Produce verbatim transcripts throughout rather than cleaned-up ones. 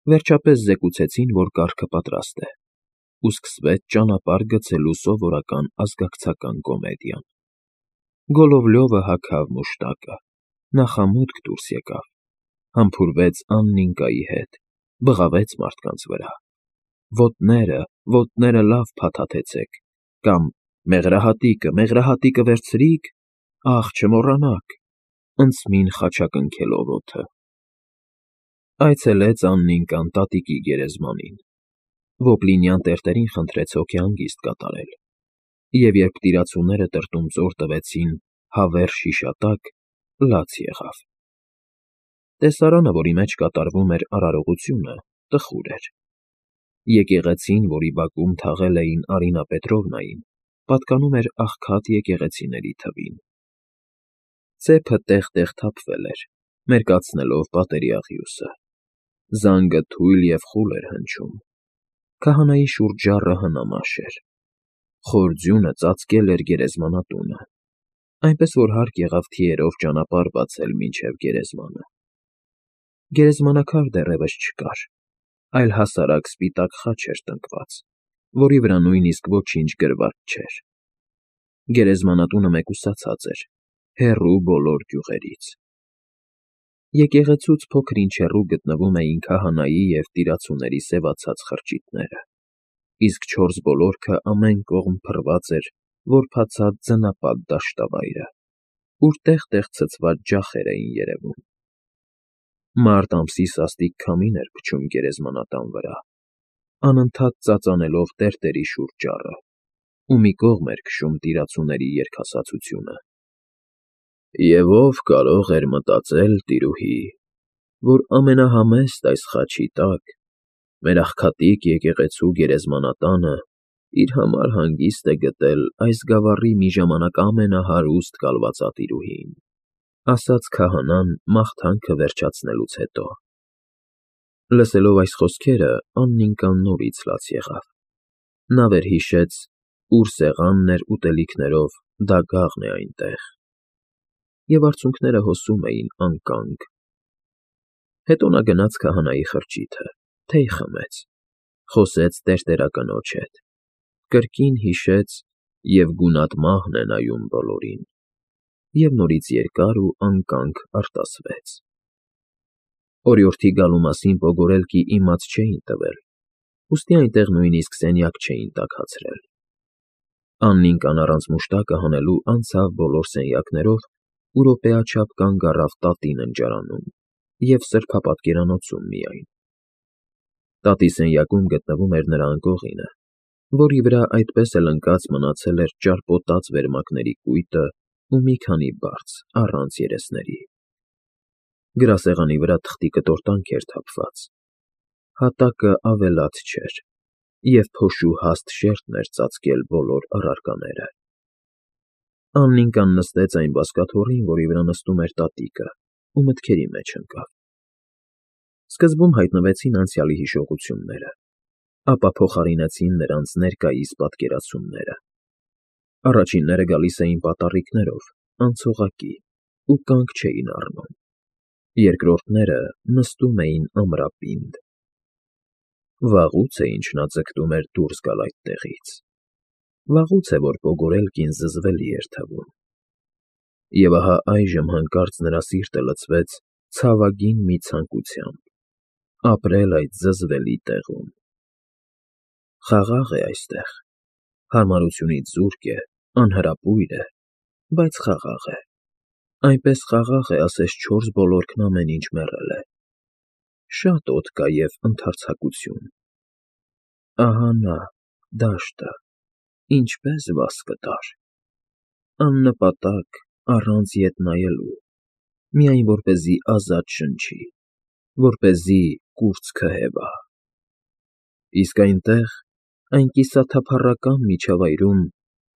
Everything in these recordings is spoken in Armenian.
Վերջապես զեկուցեցին, որ կարգը պատրաստ է, ու սկսվեց ճանապարհ գցելու սովորական ազգակցական կոմեդիան. Գոլովլյովը հագավ մուշտակը, նախամուտք դուրս եկավ, համբուրվեց Աննիկայի հետ, բղավեց մարդկանց վրա. «Ոտները, ոտները լավ փաթաթեցեք» կամ «Մեղրահատիկը, մեղրահատիկը վերցրի՞ք, ախ, չմոռանաք» ընծմին խաչակնքելով օդը։ Այցելեց Աննիկան տատիկի գերեզմանին, Ոպլինյան տերտերին խնդրեց հոգեհանգիստ կատարել, և երբ տիրացուները տրտունձոր տվեցին հավերժ հիշատակ, լաց եղավ. տեսարանը, որի մեջ կատարվում էր արարողությունը, տխուր էր. եկեղեցին, որի բակում թաղել էին Արինա Պետրովնային, պատկանում էր աղքատ եկեղեցիների թվին. ծեփը տեղ֊տեղ թափվել էր, մերկացնելով պատերի աղյուսը, զանգը թույլ և խուլ էր հնչում, քահանայի շուրթժառը հնամաշ էր, խոր ձյունը ծածկել էր գերեզմանատունը, այնպես որ հարկ եղավ թիերով ճանապարհ բացել մինչև գերեզմանը։ Գերեզմանակար դեռևս չկար, այլ հասարակ սպիտակ խաչ էր տնկված, որի վրա նույնիսկ ոչինչ գրված չէր։ Գերեզմանատունը մեկուսացած էր, հեռու բոլոր գյուղերից։ Եկեղեցուց փոքր-ինչ հեռու գտնվում էին քահանայի և տիրացուների սևացած խրճիթները, իսկ չորս բոլորքը ամեն կողմ փռված էր որբացած ձնապատ դաշտավայրը, ուր տեղ֊տեղ ցցված ջախեր էին երևում։ Մարտ ամսի սաստիկ քամին էր փչում գերեզմանատան վրա, անընդհատ ծածանելով տերտերի շուրթժառը, ու մի կողմ էր քշում տիրացուների երգասացությունը։ Եվ ո՞վ կարող էր մտածել, տիրուհի, որ ամենահամեստ այս խաչի տակ մեր աղքատիկ եկեղեցու գերեզմանատանը իր համար հանգիստ է գտել այս գավառի մի ժամանակ ամենահարուստ կալվածատիրուհին, ֊ ասաց քահանան մաղթանքը վերջացնելուց հետո։ Լսելով այս խոսքերը, Աննիկան նորից լաց եղավ. նա վերհիշեց, ուր սեղանն էր ուտելիքներով, դագաղն է այնտեղ, և արցունքները հոսում էին անկանգ։ Հետո նա գնաց քահանայի խրճիթը, թեյ խմեց, խոսեց տերտերակնոջ հետ, կրկին հիշեց «Եվ գունատ մահն է նայում բոլորին» և նորից երկար ու անկանգ արտասվեց։ Օրիորդի գալու մասին պոգորելքի իմաց չէին տվել, ուստի այնտեղ նույնիսկ սենյակ չէին տաքացրել։ Աննիկան առանց մուշտակը հանելու անցավ բոլոր սենյակներով ու րոպեաչափ կանգ առավ տատի ննջարանում և սրբապատկերանոցում միայն։ Տատի սենյակում գտնվում էր նրա անկողինը, որի վրա այդպես էլ ընկած մնացել էր ճարպոտած վերմակների կույտը ու մի քանի բարձ, առանց երեսների։ Գրասեղանի վրա թղթի կտորտանք էր թափված, հատակը ավելացած չէր, և փոշու հաստ շերտն էր ծածկել բոլոր առարկաները։ Աննիկան նստեց այն բազկաթոռին, որի վրա նստում էր տատիկը, ու մտքերի մեջ ընկավ։ Սկզբում հայտնվեցին անցյալի հիշողությունները, ապա փոխարինեցին նրանց ներկայիս պատկերացումները։ Առաջինները գալիս էին պատառիկներով, անցողակի ու կանգ չէին առնում, երկրորդները նստում էին ամրապինդ։ Վաղուց է, ինչ նա ձգտում էր դուրս գալ այդտեղից, վաղուց է, որ պոգորելկին զզվելի էր թվում։ Եվ ահա այժմ հանկարծ նրա սիրտը լցվեց ցավագին մի ցանկությամբ՝ ապրել այդ զզվելի տեղում։ Խաղաղ է այստեղ, հարմարությունից զուրկ է, անհրապույր է, բայց խաղաղ է, այնպես խաղաղ է, ասես չորս բոլորքն ամեն ինչ մեռել է։ Շատ օդ կա և ընդարձակություն։ Ահա նա, դաշտը, ինչպես վաս կտար։ Աննպատակ, առանց ետ նայելու, միայն որպեսզի ազատ շնչի, որպեսզի կուրծքը քհևա։ Իսկ այնտեղ, այն կիսաթափառական միջավայրում,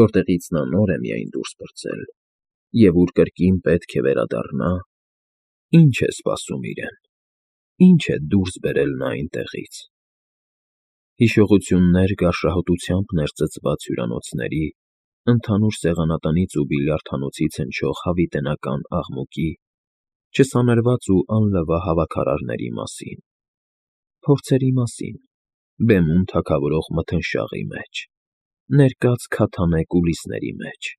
որտեղից նա նոր է միայն դուրս պրծել, և ուր կրկին պետք է վերադառնա, ի՞նչ է սպասում իրեն, ի՞նչ է դուրս բերել նա այնտեղից։ Հիշողություններ գարշահոտությամբ ներծծված հյուրանոցների, ընդհանուր սեղանատնից ու բիլիարդհանոցից հնչող հավիտենական աղմուկի, չսանրված ու անլվա հավաքարարների մասին, Փորձերի մասին, բեմում թագավորող մթնշաղի մեջ, ներկած քաթանե կուլիսների մեջ,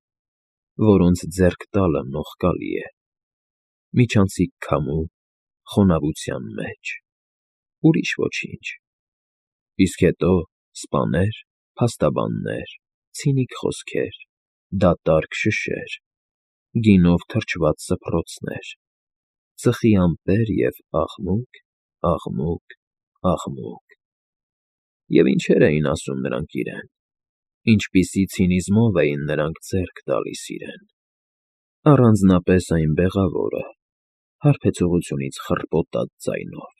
որոնց ձեռք տալը նողկալի է, միջանցիկ քամու, խոնավության մեջ, ուրիշ ոչինչ, իսկ հետո սպաներ, փաստաբաններ, ցինիկ խոսքեր, դատարկ շշեր, գինով թրջված սփռոցներ, ծխի ամպեր և աղմուկ, աղմուկ, աղմուկ… Եվ ինչեր էին ասում նրանք իրեն, ինչպիսի ցինիզմով էին նրանք ձեռք տալիս իրեն… Առանձնապես այն բեղավորը, հարբեցողությունից խռպոտած ձայնով,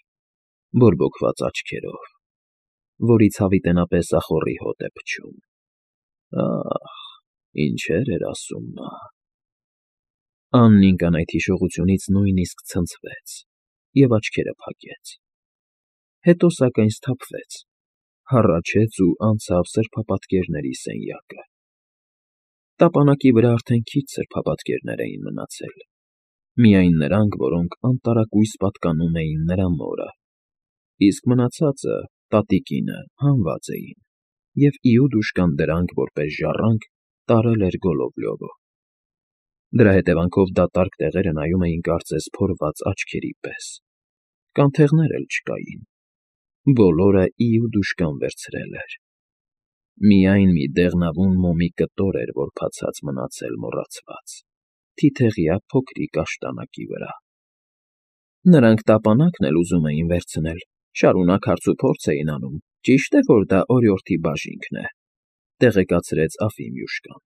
բորբոքված աչքերով, որից հավիտենապես ախոռի հոտ է փչում… Ա՜խ, ինչեր էր ասում նա… Աննիկան այդ հիշողությունից նույնիսկ ցնցվեց և աչքերը փակեց… Հետո, սակայն, սթափվեց, հառաչեց ու անցավ սրբապատկերների սենյակը… Տապանակի վրա արդեն քիչ սրբապատկերներ էին մնացել, միայն նրանք, որոնք անտարակույս պատկանում էին նրա մորը, իսկ մնացածը, տատիկինը, հանված էին, և իուդուշկան դրանք, որպես ժառանգ, տարել էր Գոլովլյովը… Դրա հետևանքով դատարկ տեղերը նայում էին կարծես փորված աչքերի պես, կանթեղներ էլ չկային, բոլորը իուդուշկան վերցրել էր… Միայն մի դեղնավուն մոմի կտոր էր որբացած մնացել մոռացված, թիթեղյա փոքրիկ աշտանակի վրա… Նրանք տապանակն էլ ուզում էին վերցնել, շարունակ հարցուփորձ էին անում, ճի՞շտ է, որ դա օրիորդի բաժինքն է, տեղեկացրեց Աֆիմյուշկան…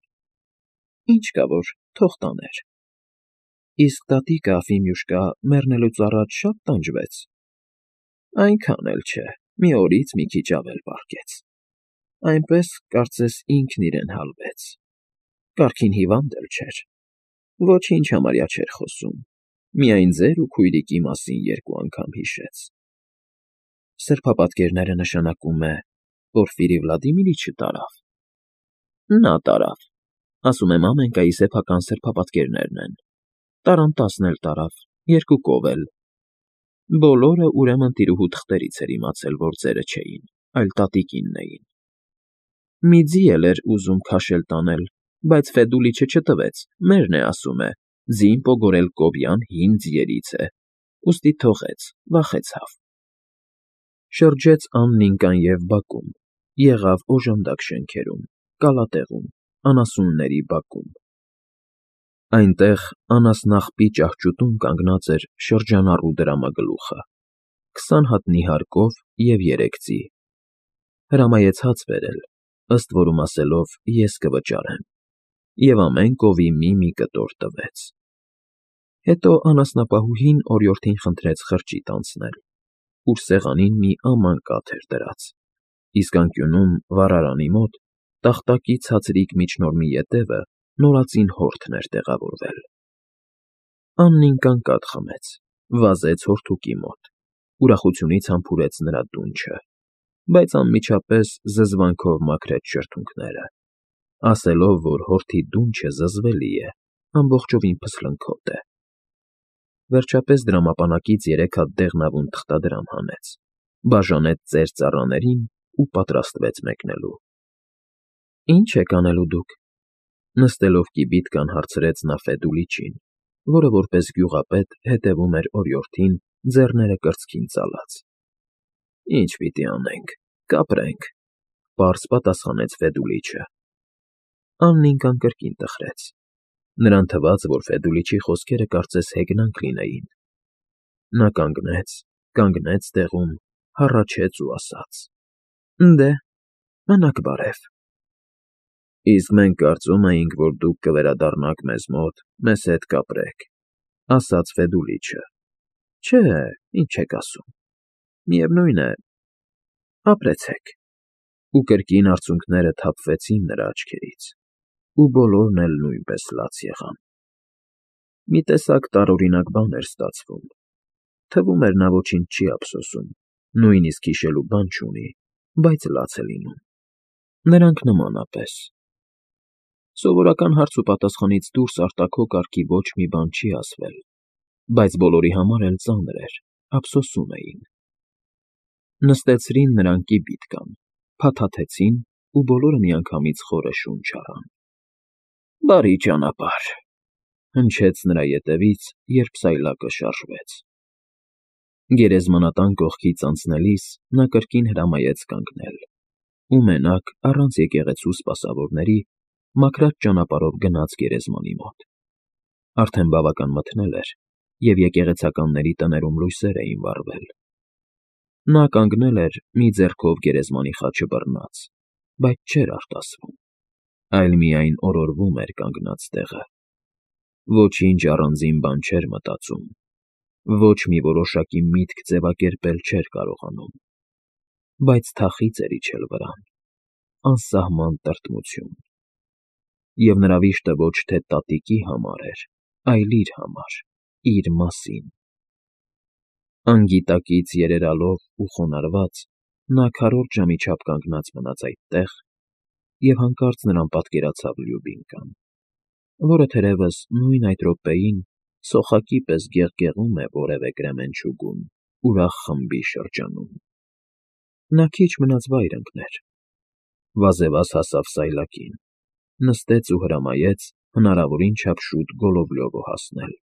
Ինչ կա որ, թող տաներ… Իսկ տատիկը, Ալֆիմյուշկա, մեռնելուց առաջ շա՞տ տանջվեց… Այնքան էլ չէ, մի օրից մի քիչ ավել պառկեց… Այնպես, կարծես ինքն իրեն հալվեց… Կարգին հիվանդ էլ չէր… Ոչինչ համարյա չէր խոսում, միայն ձեր ու քույրիկի մասին երկու անգամ հիշեց… Սրբապատկերները, նշանակում է, Պորֆիրի Վլադիմիրիչը տարավ… Նա տարավ… Ասում եմ, Ամենկայի սեփական սրբապատկերներն են… Տարան տասն էլ տարավ, երկուկով էլ… Բոլորը, ուրեմն, տիրուհու թղթերից էր իմացել, որ ձերը չէին, այլ տատիկինն էին… Մի ձի էլ էր ուզում քաշել տանել, բայց Ֆեդուլիչը չտվեց, մերն է, ասում է, ձին պոգորել կոբյան հին ձիերից է, ուստի թողեց, վախեցավ… Շրջեց Աննիկան և բակում, եղավ օժանդակ շենքերում, կալատեղում, անասունների բակում… Այնտեղ անասնաղբի ճահճուտում կանգնած էր շրջանառու դրամագլուխը, քսան հատ նիհարկով և երեք ձի… Հրամայեց հաց բերել, ըստ որում ասելով ես կվճարեմ, և ամեն կովի մի֊մի կտոր տվեց… Հետո անասնապահուհին օրիորդին խնդրեց խրճիթ անցնել, ուր սեղանին մի աման կաթ էր դրած, իսկ անկյունում, վառարանի մոտ, տախտակի ցածրիկ միջնորմի ետևը նորածին հորթն էր տեղավորվել… Աննիկան կաթ խմեց, վազեց հորթուկի մոտ, ուրախությունից համբուրեց նրա դունչը, բայց անմիջապես զզվանքով մաքրեց շրթունքները, ասելով, որ հորթի դունչը զզվելի է, ամբողջովին փսլնքոտ է… Վերջապես դրամապանակից երեք հատ դեղնավուն թղթադրամ հանեց, բաժանեց ծեր ծառաներին ու պատրաստվեց մեկնելու… Ի՞նչ եք անելու դուք,֊ նստելով կիբիթկան հարցրեց նա Ֆեդուլիչին, որը որպես գյուղապետ հետևում էր օրիորդին, ձեռները կրծքին ծալած։ ֊ Ի՞նչ պիտի անենք, կապրենք,֊ պարզ պատասխանեց Ֆեդուլիչը։ Աննիկան կրկին տխրեց… Նրան թվաց, որ Ֆեդուլիչի խոսքերը կարծես հեգնանք լինեին… Նա կանգնեց, կանգնեց տեղում, հառաչեց ու ասաց. «Դե, մնաք բարև»… Իսկ մենք կարծում էինք, որ դուք կվերադառնաք մեզ մոտ, մեզ հետ կապրեք,֊ ասաց Ֆեդուլիչը։ ֊ Չէ, ինչ եք ասում… Միևնույն է, ապրեցեք… Ու կրկին արցունքները թափվեցին նրա աչքերից, ու բոլորն էլ նույնպես լաց եղան… Մի տեսակ տարօրինակ բան էր ստացվում… Թվում էր, նա ոչինչ չի ափսոսում, նույնիսկ հիշելու բան չունի, բայց լաց է լինում… Նրանք նմանապես… Սովորական հարց ու պատասխանից դուրս արտաքո կարգի ոչ մի բան չի ասվել, բայց բոլորի համար էլ ծանր էր, ափսոսում էին… Նստեցրին նրան կիպիտկան, փաթաթեցին ու բոլորը միանգամից խորը շունչ առան։ ֊ Բարի ճանապարհ,֊ հնչեց նրա ետևից, երբ սայլակը շարժվեց։ Գերեզմանատան կողքից անցնելիս նա կրկին հրամայեց կանգնել ու մենակ, առանց եկեղեցու սպասավորների, մաքրած ճանապարհով գնաց գերեզմանի մոտ։ Արդեն բավական մթնել էր, և եկեղեցականների տներում լույսեր էին վառվել։ Նա կանգնել էր, մի ձեռքով գերեզմանի խաչը բռնած, բայց չէր արտասվում, այլ միայն օրորվում էր կանգնած տեղը։ Ոչինչ առանձին բան չէր մտածում, ոչ մի որոշակի միտք ձևակերպել չէր կարողանում, բայց թախիծ էր իջել վրան, անսահման տրտմություն։ Եվ նրա վիշտը ոչ թե տատիկի համար էր, այլ իր համար, իր մասին։ Անգիտակից երերալով ու խոնարհված՝ նա քառորդ ժամի չափ կանգնած մնաց այդտեղ, և հանկարծ նրան պատկերացավ Լյուբինկան, որը թերևս նույն այդ րոպեին սոխակի պես գեղգեղում է որևէ կրեմենչուգում ուրախ խմբի շրջանում։ Նա քիչ մնաց վայր ընկներ, վազեվազ հասավ սայլակին, նստեց ու հրամայեց հնարավորին չափ շուտ Գոլոբլյովը հասնել։